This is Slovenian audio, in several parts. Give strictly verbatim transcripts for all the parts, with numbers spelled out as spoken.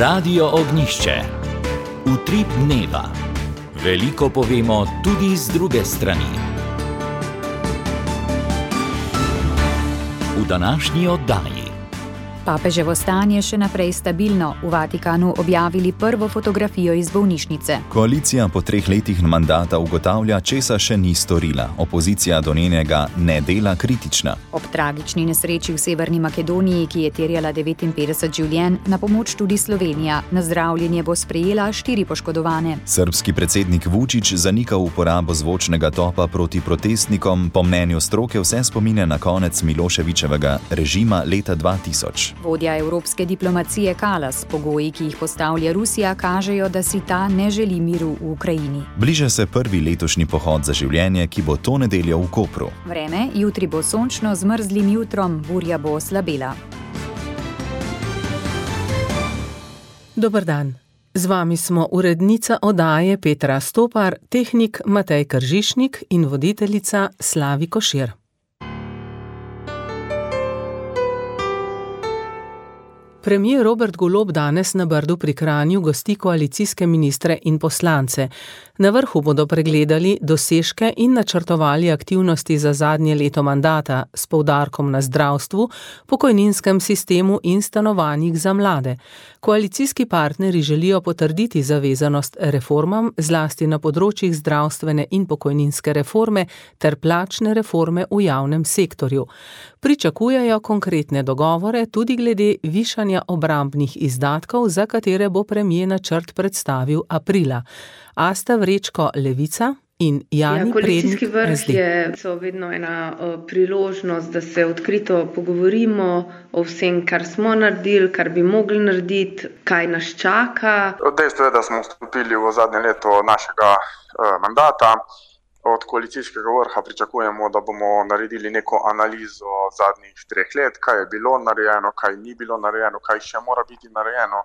Radio Ognjišče. Utrip dneva. Veliko povemo tudi z druge strani. V današnji oddaji. Papeževo stanje še naprej stabilno. V Vatikanu objavili prvo fotografijo iz bolnišnice. Koalicija po treh letih mandata ugotavlja, česa še ni storila. Opozicija do njenega nedela kritična. Ob tragični nesreči v Severni Makedoniji, ki je terjala devetinpetdeset življenj, na pomoč tudi Slovenija. Na zdravljenje bo sprejela štiri poškodovane. Srbski predsednik Vučić zanika uporabo zvočnega topa proti protestnikom. Po mnenju stroke vse spominja na konec Miloševićevega režima leta dva tisoč. Vodja evropske diplomacije Kallas, pogoji, ki jih postavlja Rusija, kažejo, da si ta ne želi miru v Ukrajini. Bliža se prvi letošnji pohod za življenje, ki bo to nedeljo v Kopru. Vreme, jutri bo sončno z mrzlim jutrom, burja bo oslabela. Dober dan. Z vami smo urednica oddaje Petra Stopar, tehnik Matej Kržišnik in voditeljica Slavi Košir. Premier Robert Golob danes na Brdu pri Kranju gosti koalicijske ministre in poslance. Na vrhu bodo pregledali dosežke in načrtovali aktivnosti za zadnje leto mandata s poudarkom na zdravstvu, pokojninskem sistemu in stanovanjih za mlade. Koalicijski partnerji želijo potrditi zavezanost reformam, zlasti na področjih zdravstvene in pokojninske reforme ter plačne reforme v javnem sektorju. Pričakujejo konkretne dogovore tudi glede višanja obrambnih izdatkov, za katere bo premier načrt predstavil aprila. Asta Vrečko, Levica, in Jani ja, Prednik, koalicijski vrh S D. je so vedno ena uh, priložnost, da se odkrito pogovorimo o vsem, kar smo naredili, kar bi mogli narediti, kaj nas čaka. Dejstvo je, da smo vstopili v zadnje leto našega uh, mandata. Od koalicijskega vrha pričakujemo, da bomo naredili neko analizo zadnjih treh let, kaj je bilo narejeno, kaj ni bilo narejeno, kaj še mora biti narejeno.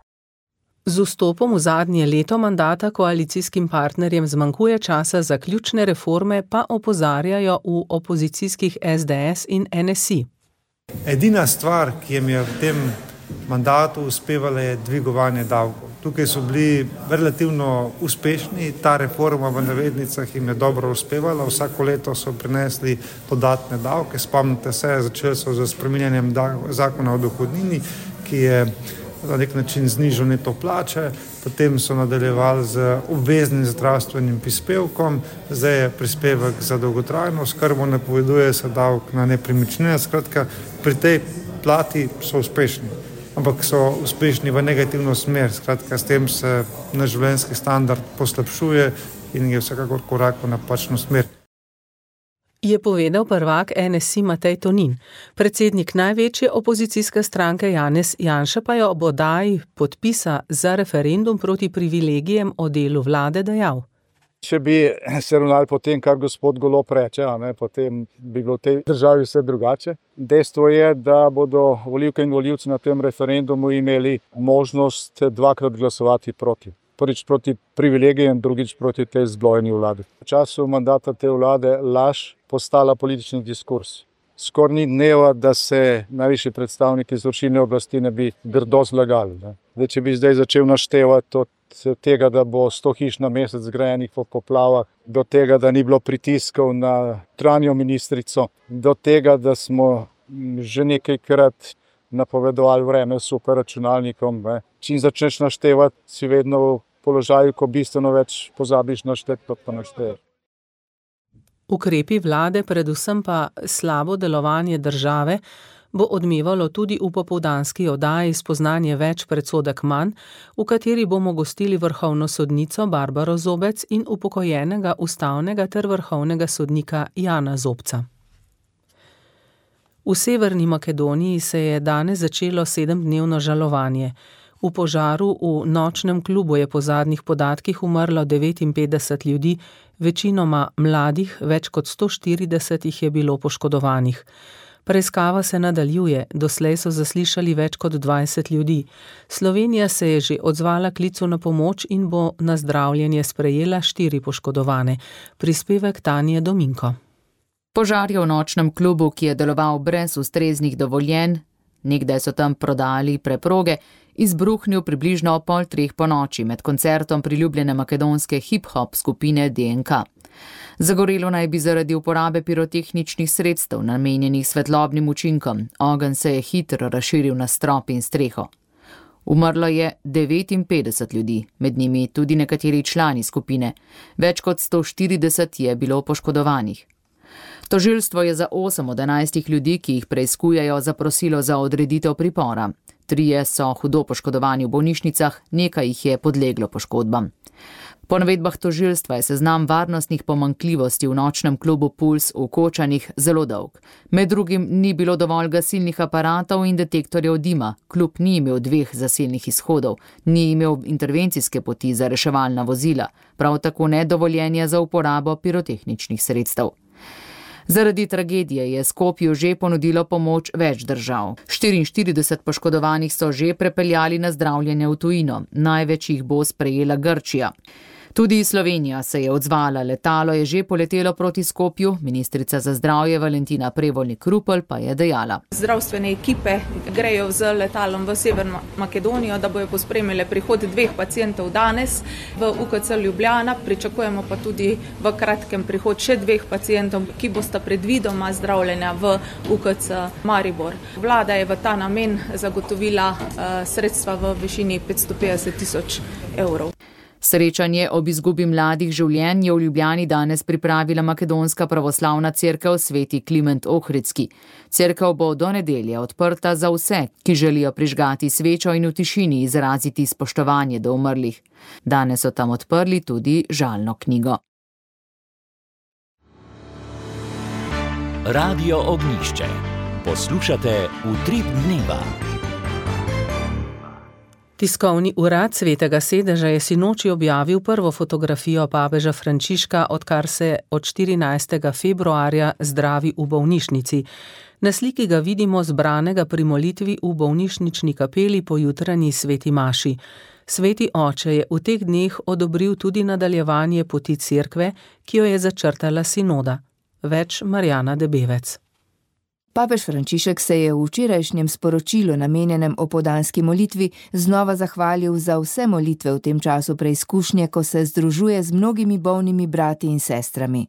Z vstopom v zadnje leto mandata koalicijskim partnerjem zmanjkuje časa za ključne reforme, pa opozarjajo v opozicijskih S D S in N S I. Edina stvar, ki jim je v tem mandatu uspevala, je dvigovanje davkov. Tukaj so bili relativno uspešni, ta reforma v navednicah jim je dobro uspevala, vsako leto so prinesli dodatne davke. Spomnite se, začeli so z spreminjanjem zakona o dohodnini, ki je na nek način znižal neto plače, potem so nadaljevali z obveznim zdravstvenim prispevkom, zdaj je prispevek za dolgotrajno oskrbo, napoveduje se davek na nepremičnine. Skratka, pri tej plati so uspešni, ampak so uspešni v negativno smer. Skratka, s tem se naš življenjski standard poslabšuje in je vsekakor korak v napačno smer. Je povedal prvak N S I Matej Tonin. Predsednik največje opozicijske stranke Janez Janša pa je ob oddaji podpisa za referendum proti privilegijem o delu vlade dejal. Če bi se ravnali po tem, kar gospod Golob reče, a ne, potem bi bilo v tej državi vse drugače. Dejstvo je, da bodo volivke in volivci na tem referendumu imeli možnost dvakrat glasovati proti. Prvič proti privilegijem, drugič proti tej zblojeni vladi. V času mandata te vlade laž postala politični diskurs. Skoraj ni dneva, da se najvišji predstavniki izvršilne oblasti ne bi grdo zlagali. Ne. Zdaj, če bi zdaj začel naštevati od tega, da bo sto hiš na mesec zgrajenih po poplavah, do tega, da ni bilo pritiskov na notranjo ministrico, do tega, da smo že nekajkrat napovedovali vreme s superračunalnikom. Ne. Čim začneš naštevati, si vedno v položaju, ko bistveno več pozabiš našteti, kot pa našteješ. Ukrepi vlade, predvsem pa slabo delovanje države, bo odmevalo tudi v popoldanski oddaji Spoznanje več, predsodek manj, v kateri bomo gostili vrhovno sodnico Barbaro Zobec in upokojenega ustavnega ter vrhovnega sodnika Jana Zobca. V Severni Makedoniji se je danes začelo sedemdnevno žalovanje. V požaru v nočnem klubu je po zadnjih podatkih umrlo devetinpetdeset ljudi, večinoma mladih, več kot sto štirideset jih je bilo poškodovanih. Preiskava se nadaljuje, doslej so zaslišali več kot dvajset ljudi. Slovenija se je že odzvala klicu na pomoč in bo na zdravljenje sprejela štiri poškodovane. Prispevek Tanje Dominko. Požar je v nočnem klubu, ki je deloval brez ustreznih dovoljenj. Nekdaj so tam prodali preproge izbruhnil približno pol treh po noči med koncertom priljubljene makedonske hip-hop skupine D N K. Zagorelo naj bi zaradi uporabe pirotehničnih sredstev, namenjenih svetlobnim učinkom. Ogenj se je hitro razširil na strop in streho. Umrlo je devetinpetdeset ljudi, med njimi tudi nekateri člani skupine. Več kot sto štirideset je bilo poškodovanih. Tožilstvo je za osem od enajstih ljudi, ki jih preiskujejo, zaprosilo za odreditev pripora. Trije so hudo poškodovani v bolnišnicah, nekaj jih je podleglo poškodbam. Po navedbah tožilstva je seznam varnostnih pomanjkljivosti v nočnem klubu Puls v Kočanih zelo dolg. Med drugim ni bilo dovolj gasilnih aparatov in detektorjev dima, klub ni imel dveh zasilnih izhodov, ni imel intervencijske poti za reševalna vozila, prav tako ne dovoljenja za uporabo pirotehničnih sredstev. Zaradi tragedije je Skopju že ponudilo pomoč več držav. štiriinštirideset poškodovanih so že prepeljali na zdravljenje v tujino, največ jih bo sprejela Grčija. Tudi Slovenija se je odzvala, letalo je že poletelo proti Skopju, ministrica za zdravje Valentina Prevolnik-Rupel pa je dejala. Zdravstvene ekipe grejo z letalom v Severno Makedonijo, da bojo pospremile prihod dveh pacientov danes v U K C Ljubljana, pričakujemo pa tudi v kratkem prihod še dveh pacientov, ki bosta predvidoma zdravljena v U K C Maribor. Vlada je v ta namen zagotovila uh, sredstva v višini petsto petdeset tisoč evrov. Srečanje ob izgubi mladih življenj je v Ljubljani danes pripravila makedonska pravoslavna cerkev Sveti Kliment Ohridski. Cerkev bo do nedelje odprta za vse, ki želijo prižgati svečo in v tišini izraziti spoštovanje do umrlih. Danes so tam odprli tudi žalno knjigo. Radio Ognjišče. Poslušate Utrip dneva. Tiskovni urad Svetega sedeža je sinoči objavil prvo fotografijo papeža Frančiška, odkar se od štirinajstega februarja zdravi v bolnišnici. Na sliki ga vidimo zbranega pri molitvi v bolnišnični kapeli po jutranji sveti maši. Sveti oče je v teh dneh odobril tudi nadaljevanje poti cerkve, ki jo je začrtala sinoda. Več Marjana Debevec. Papež Frančišek se je v včerajšnjem sporočilu namenjenem opoldanski molitvi znova zahvalil za vse molitve v tem času preizkušnje, ko se združuje z mnogimi bolnimi brati in sestrami.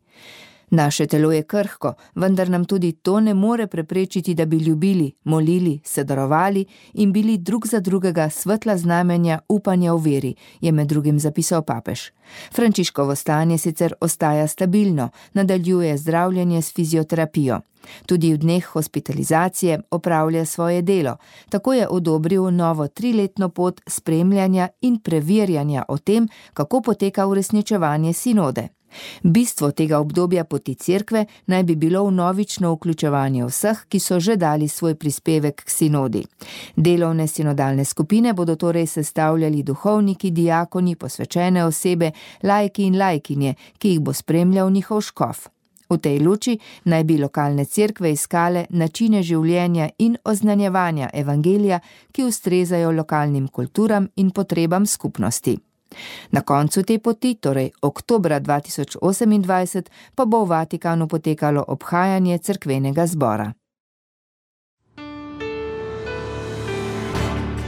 Naše telo je krhko, vendar nam tudi to ne more preprečiti, da bi ljubili, molili, se darovali in bili drug za drugega svetla znamenja upanja v veri, je med drugim zapisal papež. Frančiškovo stanje sicer ostaja stabilno, nadaljuje zdravljenje s fizioterapijo. Tudi v dneh hospitalizacije opravlja svoje delo, tako je odobril novo triletno pot spremljanja in preverjanja o tem, kako poteka uresničevanje sinode. Bistvo tega obdobja poti cerkve naj bi bilo vnovično vključevanje vseh, ki so že dali svoj prispevek k sinodi. Delovne sinodalne skupine bodo torej sestavljali duhovniki, diakoni, posvečene osebe, laiki in laikinje, ki jih bo spremljal njihov škof. V tej luči naj bi lokalne cerkve iskale načine življenja in oznanjevanja evangelija, ki ustrezajo lokalnim kulturam in potrebam skupnosti. Na koncu te poti, torej oktobra dva tisoč osemindvajset, pa bo v Vatikanu potekalo obhajanje cerkvenega zbora.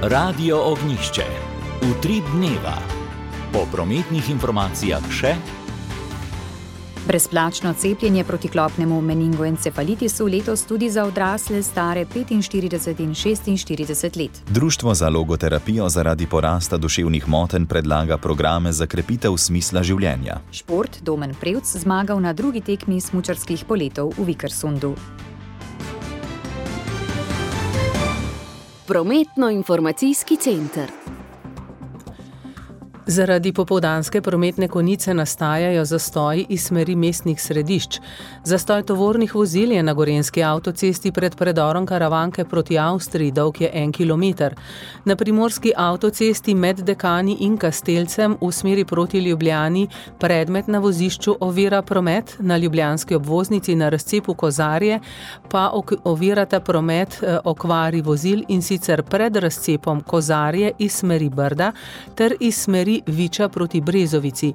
Radio Ognjišče. Utrip dneva. Po prometnih informacijah še brezplačno cepljenje proti klopnemu meningoencefalitisu letos tudi za odrasle stare petinštirideset in šestinštirideset let. Društvo za logoterapijo zaradi porasta duševnih motenj predlaga programe za krepitev smisla življenja. Šport Domen Prevc zmagal na drugi tekmi smučarskih poletov v Vikersundu. Prometno-informacijski center. Zaradi popoldanske prometne konice nastajajo zastoji iz smeri mestnih središč. Zastoj tovornih vozil je na gorenjski avtocesti pred predorom Karavanke proti Avstriji, dolg je en kilometer. Na primorski avtocesti med Dekani in Kastelcem v smeri proti Ljubljani predmet na vozišču ovira promet, na ljubljanski obvoznici na razcepu Kozarje pa ovirata promet okvari vozil, in sicer pred razcepom Kozarje iz smeri Brda ter iz smeri Viča proti Brezovici.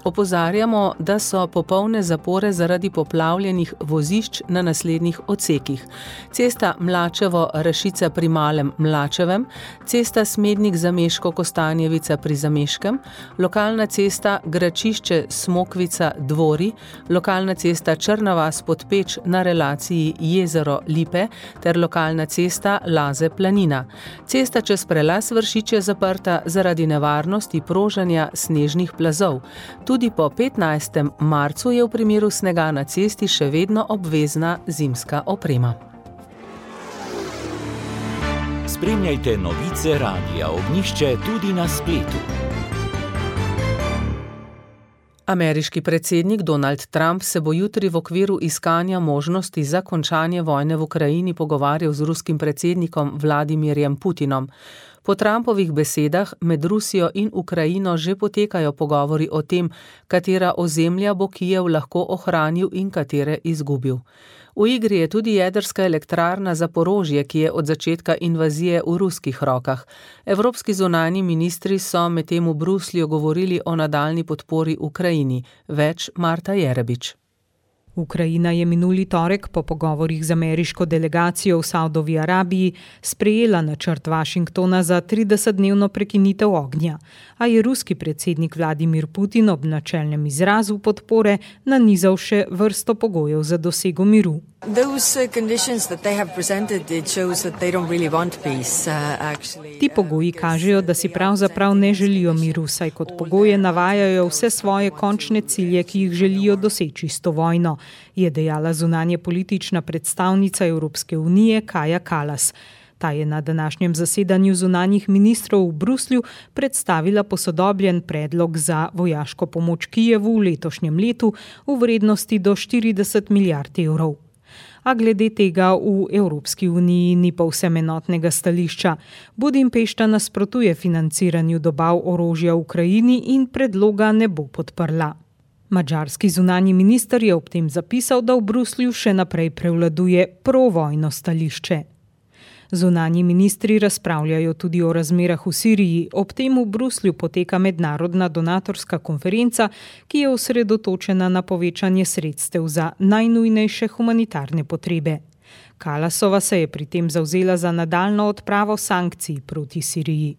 Opozarjamo, da so popolne zapore zaradi poplavljenih vozišč na naslednjih odsekih. Cesta Mlačevo-Rašica pri Malem Mlačevem, cesta Smednik-Zameško-Kostanjevica pri Zameškem, lokalna cesta Gračišče-Smokvica-Dvori, lokalna cesta Črna vas-Podpeč na relaciji Jezero-Lipe ter lokalna cesta Laze-Planina. Cesta čez prelaz Vršič je zaprta zaradi nevarnosti prožanja snežnih plazov. Tudi po petnajstem marcu je v primeru snega na cesti še vedno obvezna zimska oprema. Spremljajte novice Radia Ognjišče tudi na spletu. Ameriški predsednik Donald Trump se bo jutri v okviru iskanja možnosti za končanje vojne v Ukrajini pogovarjal z ruskim predsednikom Vladimirjem Putinom. Po Trumpovih besedah med Rusijo in Ukrajino že potekajo pogovori o tem, katera ozemlja bo Kijev lahko ohranil in katere izgubil. V igri je tudi jedrska elektrarna Zaporožje, ki je od začetka invazije v ruskih rokah. Evropski zunanji ministri so medtem v Bruslju govorili o nadaljnji podpori Ukrajini. Več Marta Jerebič. Ukrajina je minuli torek po pogovorih z ameriško delegacijo v Saudovi Arabiji sprejela načrt Washingtona za tridesetdnevno prekinitev ognja, a je ruski predsednik Vladimir Putin ob načelnem izrazu podpore nanizal še vrsto pogojev za dosego miru. Ti pogoji kažejo, da si pravzaprav ne želijo miru, saj kot pogoje navajajo vse svoje končne cilje, ki jih želijo doseči s to vojno, je dejala zunanje politična predstavnica Evropske unije Kaja Kallas. Ta je na današnjem zasedanju zunanjih ministrov v Bruslju predstavila posodobljen predlog za vojaško pomoč Kijevu v letošnjem letu v vrednosti do štirideset milijard evrov. A glede tega v Evropski uniji ni povsem enotnega stališča. Budimpešta nasprotuje financiranju dobav orožja v Ukrajini in predloga ne bo podprla. Madžarski zunanji minister je ob tem zapisal, da v Bruslju še naprej prevladuje provojno stališče. Zunanji ministri razpravljajo tudi o razmerah v Siriji. Ob tem v Bruslju poteka mednarodna donatorska konferenca, ki je osredotočena na povečanje sredstev za najnujnejše humanitarne potrebe. Kallasova se je pri tem zavzela za nadaljnjo odpravo sankcij proti Siriji.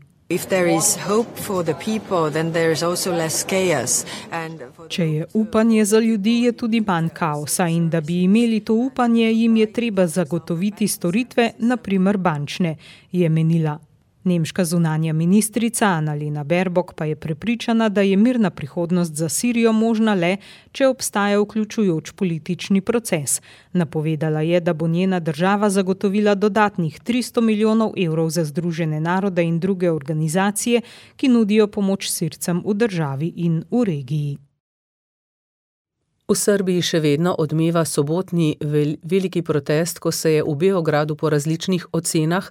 Če je upanje za ljudi, je tudi manj kaosa in da bi imeli to upanje, jim je treba zagotoviti storitve, na primer bančne, je menila. Nemška zunanja ministrica Annalena Baerbock pa je prepričana, da je mirna prihodnost za Sirijo možna le, če obstaja vključujoč politični proces. Napovedala je, da bo njena država zagotovila dodatnih tristo milijonov evrov za Združene narode in druge organizacije, ki nudijo pomoč Sircem v državi in v regiji. V Srbiji še vedno odmeva sobotni vel, veliki protest, ko se je v Beogradu po različnih ocenah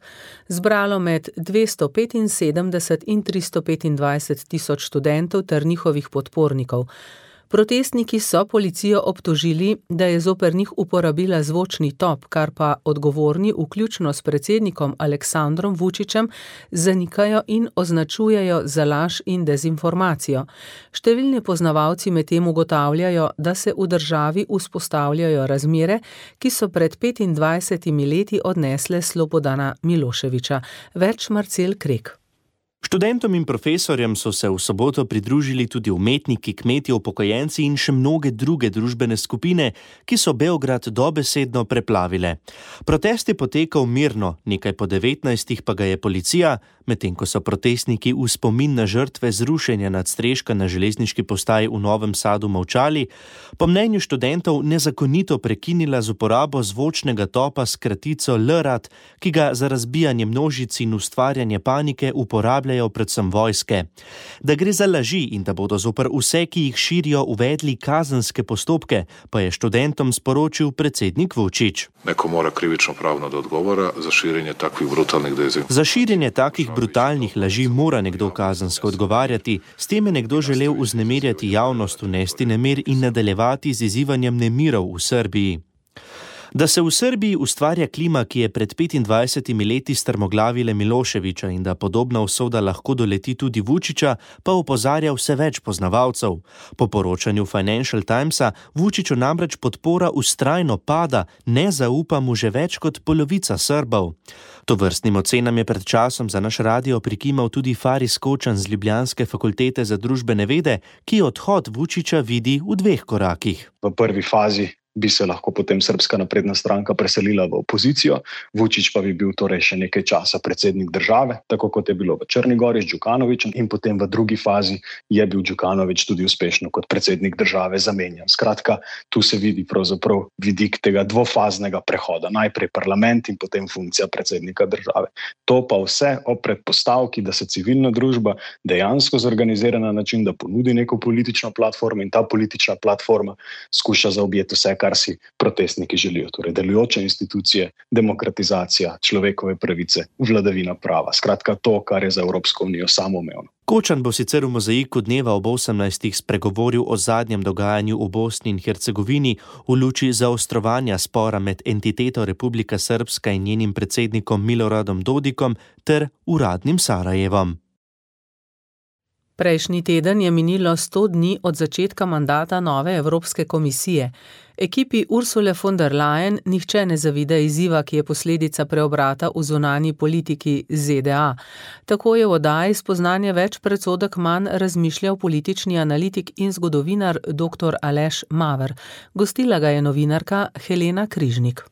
zbralo med dvesto petinsedemdeset in tristo petindvajset tisoč študentov ter njihovih podpornikov. Protestniki so policijo obtožili, da je zoper njih uporabila zvočni top, kar pa odgovorni, vključno s predsednikom Aleksandrom Vučićem, zanikajo in označujejo za laž in dezinformacijo. Številni poznavalci medtem ugotavljajo, da se v državi vzpostavljajo razmere, ki so pred petindvajsetimi leti odnesle Slobodana Miloševića. Več Marcel Krek. Študentom in profesorjem so se v soboto pridružili tudi umetniki, kmetje, upokojenci in še mnoge druge družbene skupine, ki so Beograd dobesedno preplavile. Protest je potekal mirno, nekaj po devetnajstih pa ga je policija, medtem ko so protestniki v spomin na žrtve zrušenja nadstreška na železniški postaji v Novem Sadu molčali, po mnenju študentov nezakonito prekinila z uporabo zvočnega topa s kratico L R A D, ki ga za razbijanje množic in ustvarjanje panike uporabljajo predvsem vojske. Da gre za laži in da bodo zoper vse, ki jih širijo, uvedli kazenske postopke, pa je študentom sporočil predsednik Vučić. Neko mora krivično pravno da odgovora za širjenje takvih brutalnih dezinformacij. Za širjenje takih brutalnih laži mora nekdo kazensko odgovarjati. S tem je nekdo želel vznemirjati javnost, vnesti nemir in nadaljevati z izzivanjem nemirov v Srbiji. Da se v Srbiji ustvarja klima, ki je pred petindvajsetimi leti strmoglavile Miloševića in da podobna usoda lahko doleti tudi Vučića, pa opozarja vse več poznavalcev. Po poročanju Financial Timesa Vučiću namreč podpora vztrajno pada, ne zaupa mu že več kot polovica Srbov. Tovrstnim ocenam je pred časom za naš radio prikimal tudi Faris Kočan z Ljubljanske fakultete za družbene vede, ki odhod Vučića vidi v dveh korakih. V prvi fazi bi se lahko potem Srbska napredna stranka preselila v opozicijo, Vučić pa bi bil torej še nekaj časa predsednik države, tako kot je bilo v Črni Gori z Đukanovićem, in potem v drugi fazi je bil Đukanović tudi uspešno kot predsednik države zamenjan. Skratka, tu se vidi pravzaprav vidik tega dvofaznega prehoda, najprej parlament in potem funkcija predsednika države. To pa vse ob predpostavki, da se civilna družba dejansko zorganizira na način, da ponudi neko politično platformo in ta politična platforma skuša zaobjeti vse, kar si protestniki želijo. Torej, delujoče institucije, demokratizacija, človekove pravice, vladavina prava. Skratka, to, kar je za Evropsko unijo samoumevno. Kočan bo sicer v mozaiku dneva ob osemnajstih spregovoril o zadnjem dogajanju v Bosni in Hercegovini v luči zaostrovanja spora med entiteto Republika Srpska in njenim predsednikom Miloradom Dodikom ter uradnim Sarajevom. Prejšnji teden je minilo sto dni od začetka mandata nove Evropske komisije. Ekipi Ursule von der Leyen nihče ne zavida izziva, ki je posledica preobrata v zunanji politiki Z D A. Tako je v oddaji Spoznanje več predsodek manj razmišljal politični analitik in zgodovinar dr. Aleš Maver. Gostila ga je novinarka Helena Križnik.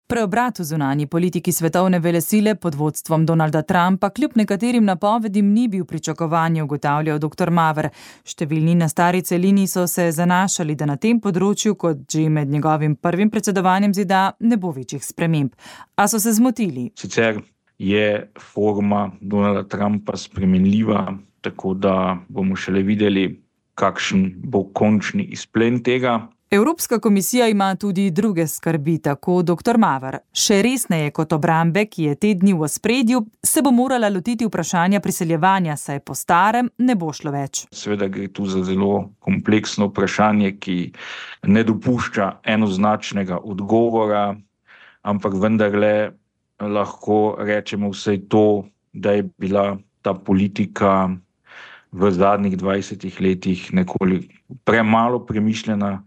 Preobrat v zunanji politiki svetovne velesile pod vodstvom Donalda Trumpa kljub nekaterim napovedim ni bil pričakovanje, ugotavljal dr. Maver. Številni na stari celini so se zanašali, da na tem področju, kot že med njegovim prvim predsedovanjem Z D A, ne bo večjih sprememb. A so se zmotili. Sicer je forma Donalda Trumpa spremenljiva, tako da bomo šele videli, kakšen bo končni izplen tega. Evropska komisija ima tudi druge skrbi, tako dr. Maver. Še resneje kot obrambe, ki je te dni v ospredju, se bo morala lotiti vprašanja priseljevanja, saj po starem ne bo šlo več. Seveda gre tu za zelo kompleksno vprašanje, ki ne dopušča enoznačnega odgovora, ampak vendarle lahko rečemo vsaj to, da je bila ta politika v zadnjih dvajsetih letih nekoliko premalo premišljena,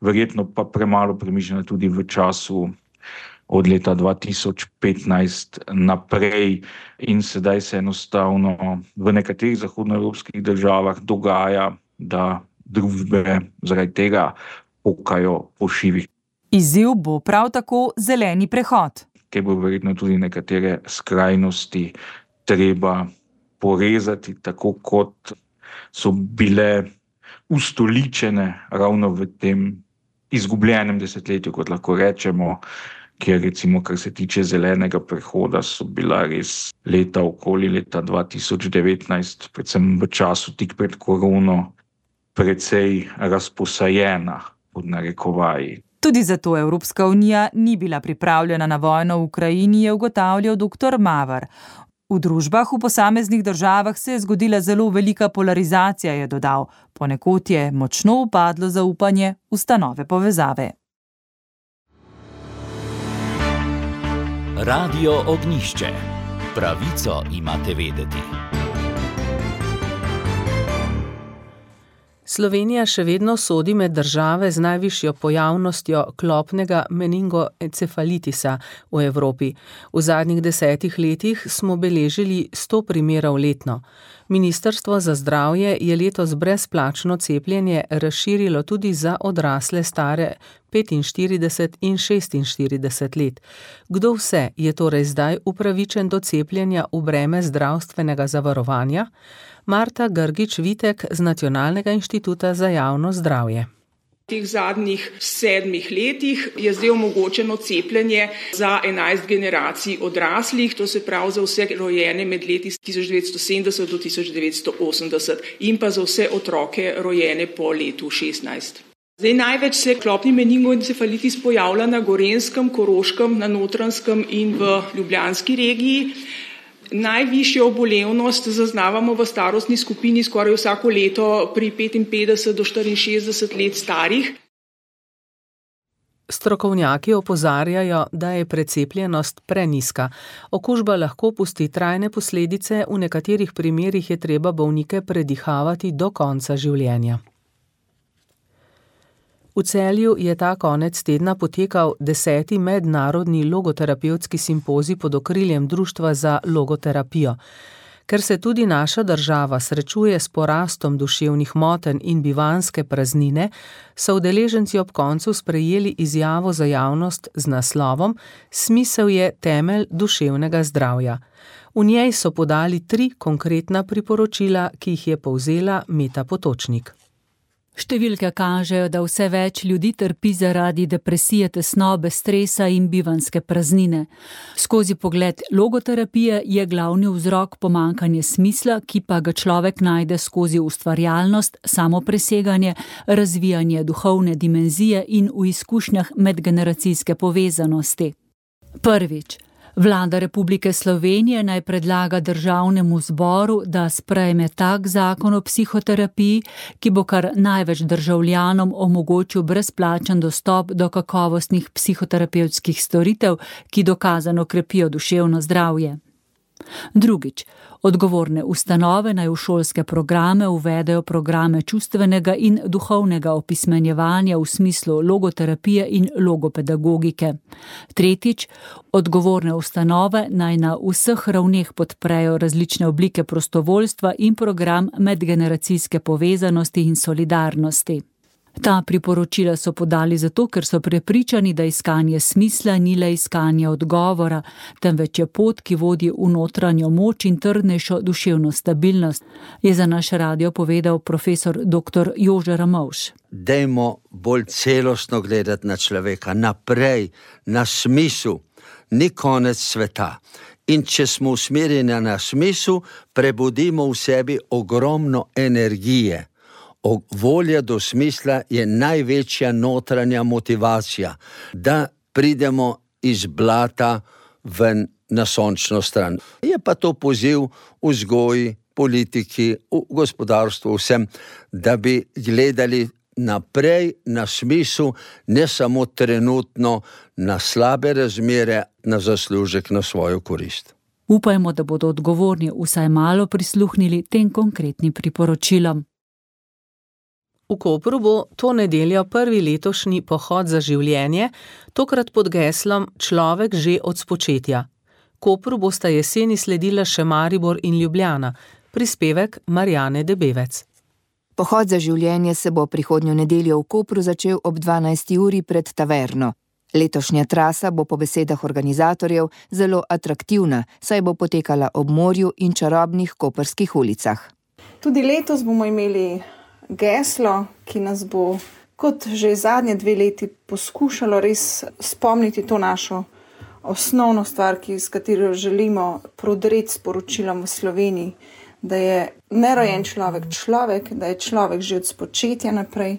verjetno pa premalo premišljena tudi v času od leta dva tisoč petnajst naprej in sedaj se enostavno v nekaterih zahodnoevropskih državah dogaja, da družbe zaradi tega pokajo po šivih. Izziv bo prav tako zeleni prehod. Ker bo verjetno tudi nekatere skrajnosti treba porezati, tako kot so bile ustoličene ravno v tem izgubljenem desetletju, kot lahko rečemo, kjer recimo, kar se tiče zelenega prehoda, so bila res leta okoli leta dva tisoč devetnajst, predvsem v času tik pred korono, precej razposajena pod narekovaji. Tudi zato Evropska unija ni bila pripravljena na vojno v Ukrajini, je ugotavljal dr. Maver. V družbah v posameznih državah se je zgodila zelo velika polarizacija, je dodal. Ponekod je močno upadlo zaupanje v stanove povezave. Radio Ognjišče. Pravico imate vedeti. Slovenija še vedno sodi med države z najvišjo pojavnostjo klopnega meningoencefalitisa v Evropi. V zadnjih desetih letih smo beležili sto primerov letno. Ministrstvo za zdravje je letos brezplačno cepljenje razširilo tudi za odrasle stare petinštirideset in šestinštirideset let. Kdo vse je torej zdaj upravičen do cepljenja v breme zdravstvenega zavarovanja? Marta Grgič-Vitek z Nacionalnega inštituta za javno zdravje. V teh zadnjih sedmih letih je zdaj omogočeno cepljenje za enajst generacij odraslih, to se pravi za vse rojene med leti tisoč devetsto sedemdeset do tisoč devetsto osemdeset in pa za vse otroke rojene po letu šestnajst. Zdaj največ se klopni meningoencefalitis pojavlja na Gorenjskem, Koroškem, na Notranjskem in v Ljubljanski regiji. Najvišjo obolevnost zaznavamo v starostni skupini skoraj vsako leto pri petinpetdeset do štiriinšestdeset let starih. Strokovnjaki opozarjajo, da je precepljenost prenizka. Okužba lahko pusti trajne posledice, v nekaterih primerih je treba bolnike predihavati do konca življenja. V Celju je ta konec tedna potekal deseti mednarodni logoterapevtski simpozij pod okriljem Društva za logoterapijo. Ker se tudi naša država srečuje s porastom duševnih motenj in bivanjske praznine, so udeleženci ob koncu sprejeli izjavo za javnost z naslovom Smisel je temelj duševnega zdravja. V njej so podali tri konkretna priporočila, ki jih je povzela Meta Potočnik. Številke kažejo, da vse več ljudi trpi zaradi depresije, tesnobe, stresa in bivanjske praznine. Skozi pogled logoterapije je glavni vzrok pomanjkanje smisla, ki pa ga človek najde skozi ustvarjalnost, samopreseganje, razvijanje duhovne dimenzije in v izkušnjah medgeneracijske povezanosti. Prvič. Vlada Republike Slovenije naj predlaga državnemu zboru, da sprejme tak zakon o psihoterapiji, ki bo kar največ državljanom omogočil brezplačen dostop do kakovostnih psihoterapevtskih storitev, ki dokazano krepijo duševno zdravje. Drugič. Odgovorne ustanove naj v šolske programe uvedejo programe čustvenega in duhovnega opismenjevanja v smislu logoterapije in logopedagogike. Tretjič. Odgovorne ustanove naj na vseh ravneh podprejo različne oblike prostovoljstva in program medgeneracijske povezanosti in solidarnosti. Ta priporočila so podali zato, ker so prepričani, da iskanje smisla ni le iskanje odgovora, temveč je pot, ki vodi v notranjo moč in trdnejšo duševno stabilnost, je za naš radio povedal profesor doktor Jože Ramovš. Dajmo bolj celostno gledati na človeka, naprej, na smisel, ni konec sveta. In če smo usmerjeni na smisel, prebudimo v sebi ogromno energije. Volja do smisla je največja notranja motivacija, da pridemo iz blata ven na sončno stran. Je pa to poziv v vzgoji, politiki, v gospodarstvu, vsem, da bi gledali naprej na smisel, ne samo trenutno na slabe razmere, na zaslužek, na svojo korist. Upajmo, da bodo odgovorni vsaj malo prisluhnili tem konkretnim priporočilom. V Kopru bo to nedeljo prvi letošnji pohod za življenje, tokrat pod geslom Človek že od spočetja. Kopru bosta jeseni sledila še Maribor in Ljubljana. Prispevek Marjane Debevec. Pohod za življenje se bo prihodnjo nedeljo v Kopru začel ob dvanajsti uri pred taverno. Letošnja trasa bo po besedah organizatorjev zelo atraktivna, saj bo potekala ob morju in čarobnih koprskih ulicah. Tudi letos bomo imeli geslo, ki nas bo, kot že zadnje dve leti, poskušalo res spomniti to našo osnovno stvar, ki, s katero želimo prodreti sporočilom v Sloveniji, da je nerojen človek človek, da je človek že od spočetja naprej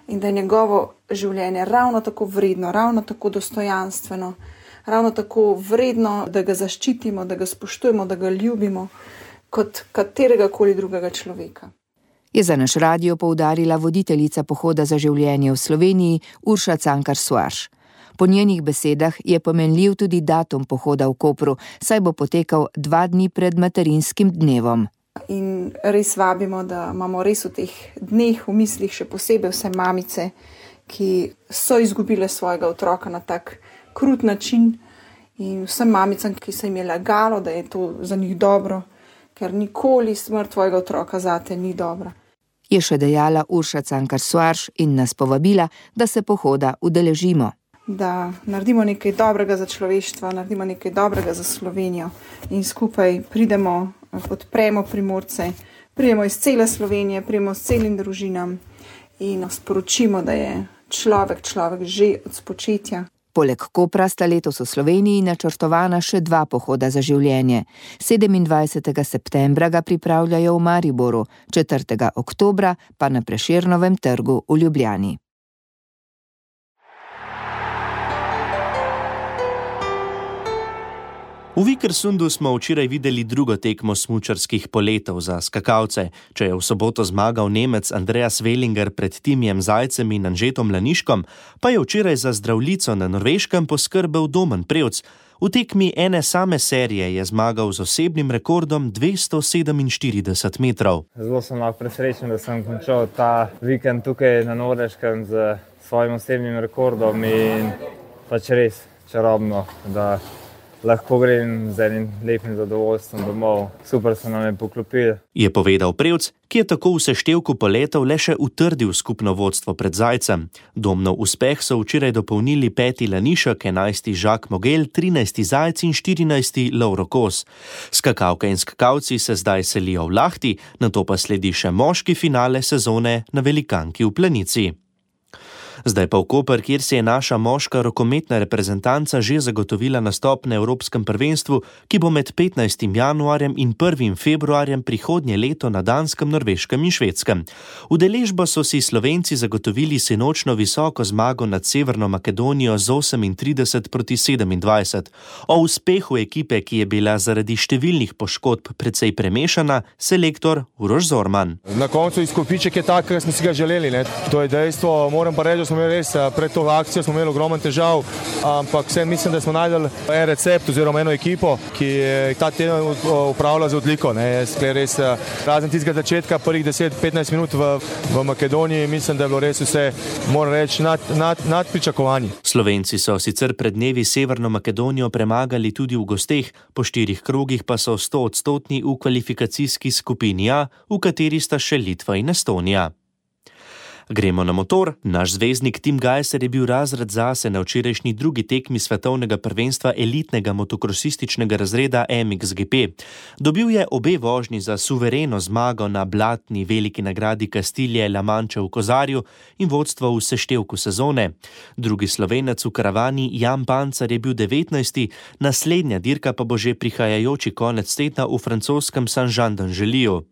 in da je njegovo življenje ravno tako vredno, ravno tako dostojanstveno, ravno tako vredno, da ga zaščitimo, da ga spoštujemo, da ga ljubimo, kot katerega koli drugega človeka. Je za naš radio poudarila voditeljica pohoda za življenje v Sloveniji Urša Cankar-Soares. Po njenih besedah je pomenljiv tudi datum pohoda v Kopru, saj bo potekal dva dni pred materinskim dnevom. In res vabimo, da imamo res v teh dneh v mislih še posebej vse mamice, ki so izgubile svojega otroka na tak krut način, in vsem mamicam, ki se jim je lagalo, da je to za njih dobro, ker nikoli smrt tvojega otroka zate ni dobra. Je še dejala Urša Cankar-Soares in nas povabila, da se pohoda udeležimo. Da naredimo nekaj dobrega za človeštvo, naredimo nekaj dobrega za Slovenijo in skupaj pridemo, podpremo Primorce, pridemo iz cele Slovenije, pridemo s celim družinam in sporočimo, da je človek človek že od spočetja. Poleg Kopra sta letos v Sloveniji načrtovana še dva pohoda za življenje. sedemindvajsetega septembra ga pripravljajo v Mariboru, četrtega oktobra pa na Prešernovem trgu v Ljubljani. V V Vikersundu smo včeraj videli drugo tekmo smučarskih poletov za skakalce. Če je v soboto zmagal Nemec Andreas Wellinger pred Timijem Zajcem in Anžetom Laniškom, pa je včeraj za zdravljico na Norveškem poskrbel Domen Prevc. V tekmi ene same serije je zmagal z osebnim rekordom dvesto sedeminštirideset metrov. Zelo sem lahko presrečen, da sem končal ta vikend tukaj na Norveškem z svojim osebnim rekordom in pač res čarobno, da lahko grem z enim lepim zadovoljstvom domov. Super so nam je poklopili. Je povedal Prevc, ki je tako v seštevku poletov le še utrdil skupno vodstvo pred Zajcem. Domnov uspeh so včeraj dopolnili peti Lanišek, enajsti Jacques Mogel, trinajsti Zajc in štirinajsti Lovro Kos. Skakalke in skakalci se zdaj selijo v Lahti, nato pa sledi še moški finale sezone na Velikanki v Planici. Zdaj pa v Koper, kjer si je naša moška rokometna reprezentanca že zagotovila nastop na Evropskem prvenstvu, ki bo med petnajstim januarjem in prvim februarjem prihodnje leto na Danskem, Norveškem in Švedskem. Udeležbo so si Slovenci zagotovili sinočno visoko zmago nad Severno Makedonijo z osemintrideset proti sedemindvajset. O uspehu ekipe, ki je bila zaradi številnih poškodb precej premešana, selektor Uroš Zorman. Na koncu izkupiček je tak, kar smo si ga želeli. Ne? To je dejstvo, moram pa reči, smo imeli res, pred to akcijo smo imeli ogromen težav, ampak vse mislim, da smo najdeli en recept oziroma eno ekipo, ki je ta teden upravlja z odliko. Ne. Res, razen tistega začetka, prvih deset do petnajst minut v, v Makedoniji, mislim, da je bilo res vse, moram reči, nad, nad, nad pričakovanji. Slovenci so sicer pred dnevi Severno Makedonijo premagali tudi v gosteh, po štirih krogih pa so stoodstotni v kvalifikacijski skupini A, v kateri sta še Litva in Estonija. Gremo na motor. Naš zvezdnik Tim Gajser je bil razred zase na včerajšnji drugi tekmi svetovnega prvenstva elitnega motokrosističnega razreda M X G P. Dobil je obe vožnji za suvereno zmago na blatni veliki nagradi Kastilje La Manche v Kozarju in vodstvo v seštevku sezone. Drugi Slovenec v karavani Jan Pancar je bil devetnajsti, naslednja dirka pa bo že prihajajoči konec tedna v francoskem Saint-Jean-d'Angeliu.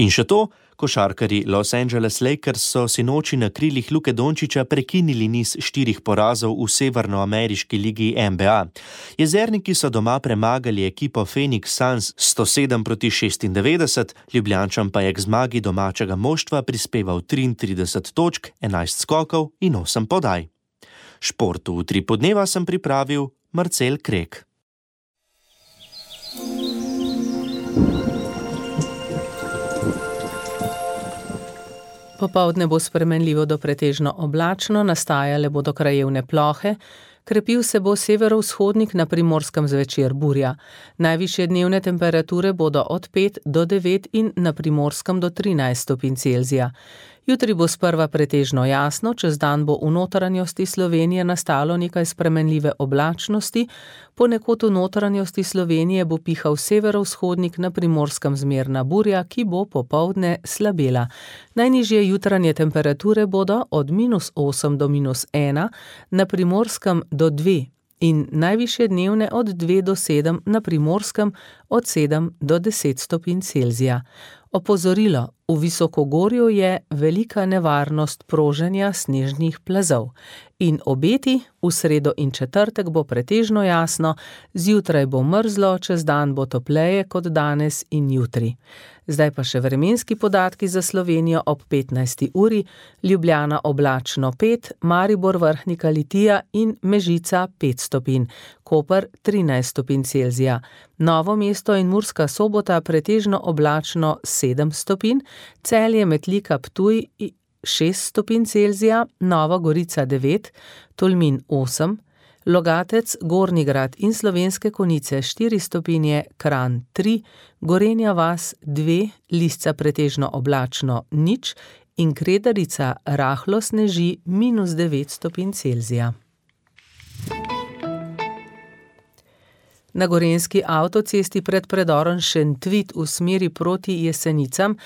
In še to, košarkarji Los Angeles Lakers so sinoči na krilih Luke Dončića prekinili niz štirih porazov v severnoameriški ligi N B A. Jezerniki so doma premagali ekipo Phoenix Suns sto sedem proti šestindevetdeset, Ljubljančan pa je k zmagi domačega moštva prispeval triintrideset točk, enajst skokov in osem podaj. Športu v tri podneva sem pripravil Marcel Krek. Popoldne bo spremenljivo do pretežno oblačno, nastajale bodo krajevne plohe, krepil se bo severovzhodnik, na Primorskem zvečer burja. Najvišje dnevne temperature bodo od pet do devet in na Primorskem do trinajst stopinj Celzija. Jutri bo sprva pretežno jasno, čez dan bo v notranjosti Slovenije nastalo nekaj spremenljive oblačnosti, ponekod v notranjosti Slovenije bo pihal severovzhodnik, na Primorskem zmerna burja, ki bo popoldne slabela. Najnižje jutranje temperature bodo od minus osem do minus ena, na Primorskem do dve in najvišje dnevne od dve do sedem, na Primorskem od sedem do deset stopinj Celzija. Opozorilo, v Visokogorju je velika nevarnost proženja snežnih plazov. In obeti, v sredo in četrtek bo pretežno jasno, zjutraj bo mrzlo, čez dan bo topleje kot danes in jutri. Zdaj pa še vremenski podatki za Slovenijo ob petnajsti uri, Ljubljana oblačno pet, Maribor Vrhnika Litija in Mežica pet stopinj, Koper trinajst stopinj Celzija, Novo mesto in Murska Sobota pretežno oblačno sedem stopinj, Celje Metlika Ptuj šest stopinj Celzija, Nova Gorica devet, Tolmin osem, Logatec, Gornji Grad in Slovenske Konjice štiri stopinje, Kranj tri, Gorenja vas dve, Lisca pretežno oblačno nič in Kredarica rahlo sneži minus devet stopinj Celzija. Na gorenjski avtocesti pred predorom Šentvid v smeri proti Jesenicam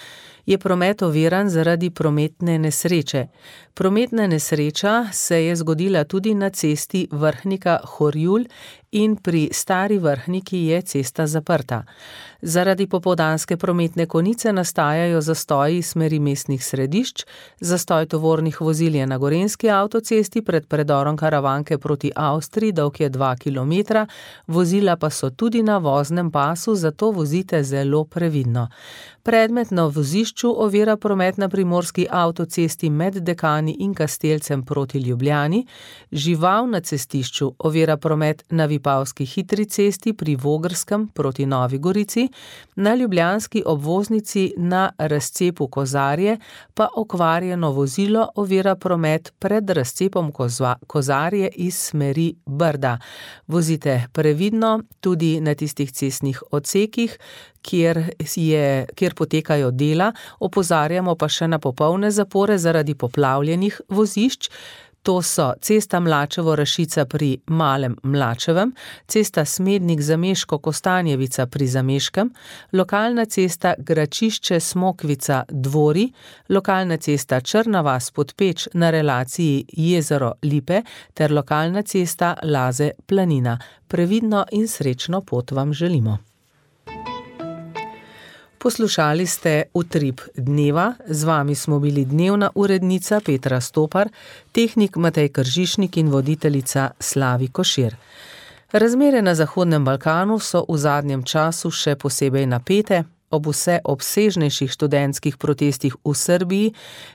je promet oviran zaradi prometne nesreče. Prometna nesreča se je zgodila tudi na cesti Vrhnika-Horjul in pri Stari Vrhniki je cesta zaprta. Zaradi popoldanske prometne konice nastajajo zastoji smeri mestnih središč, zastoj tovornih vozil je na Gorenjski avtocesti pred predorom Karavanke proti Avstriji, dolg je dva kilometra, vozila pa so tudi na voznem pasu, zato vozite zelo previdno. Predmet na vozišču ovira promet na primorski avtocesti med Dekani in Kastelcem proti Ljubljani, žival na cestišču ovira promet na Vipavski hitri cesti pri Vogrskem proti Novi Gorici, na ljubljanski obvoznici na razcepu Kozarje pa okvarjeno vozilo ovira promet pred razcepom Kozarje iz smeri Brda. Vozite previdno tudi na tistih cestnih odsekih, Kjer, je, kjer potekajo dela, opozarjamo pa še na popolne zapore zaradi poplavljenih vozišč. To so cesta Mlačevo-Rašica pri Malem Mlačevem, cesta Smednik-Zameško-Kostanjevica pri Zameškem, lokalna cesta Gračišče-Smokvica-Dvori, lokalna cesta Črna vas-Podpeč na relaciji Jezero-Lipe ter lokalna cesta Laze-Planina. Previdno in srečno pot vam želimo. Poslušali ste Utrip dneva, z vami smo bili dnevna urednica Petra Stopar, tehnik Matej Kržišnik in voditeljica Slavi Košir. Razmere na Zahodnem Balkanu so v zadnjem času še posebej napete, ob vse obsežnejših študentskih protestih v Srbiji,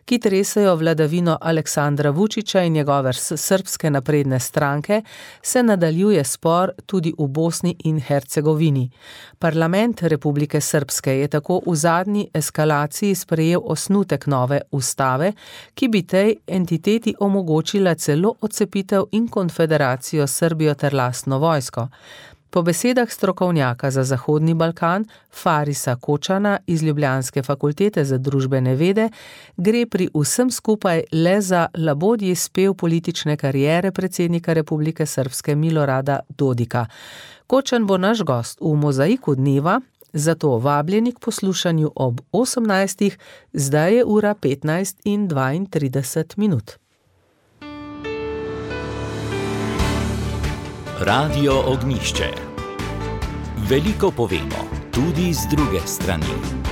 ki tresajo vladavino Aleksandra Vučića in njegove srbske napredne stranke, se nadaljuje spor tudi v Bosni in Hercegovini. Parlament Republike Srpske je tako v zadnji eskalaciji sprejel osnutek nove ustave, ki bi tej entiteti omogočila celo odcepitev in konfederacijo Srbijo ter lastno vojsko. Po besedah strokovnjaka za Zahodni Balkan, Farisa Kočana iz Ljubljanske fakultete za družbene vede, gre pri vsem skupaj le za labodji spev politične kariere predsednika Republike Srpske Milorada Dodika. Kočan bo naš gost v Mozaiku dneva, zato vabljeni k poslušanju ob osemnajstih, zdaj je ura petnajst in dvaintrideset minut. Radio Ognjišče. Veliko povemo, tudi z druge strani.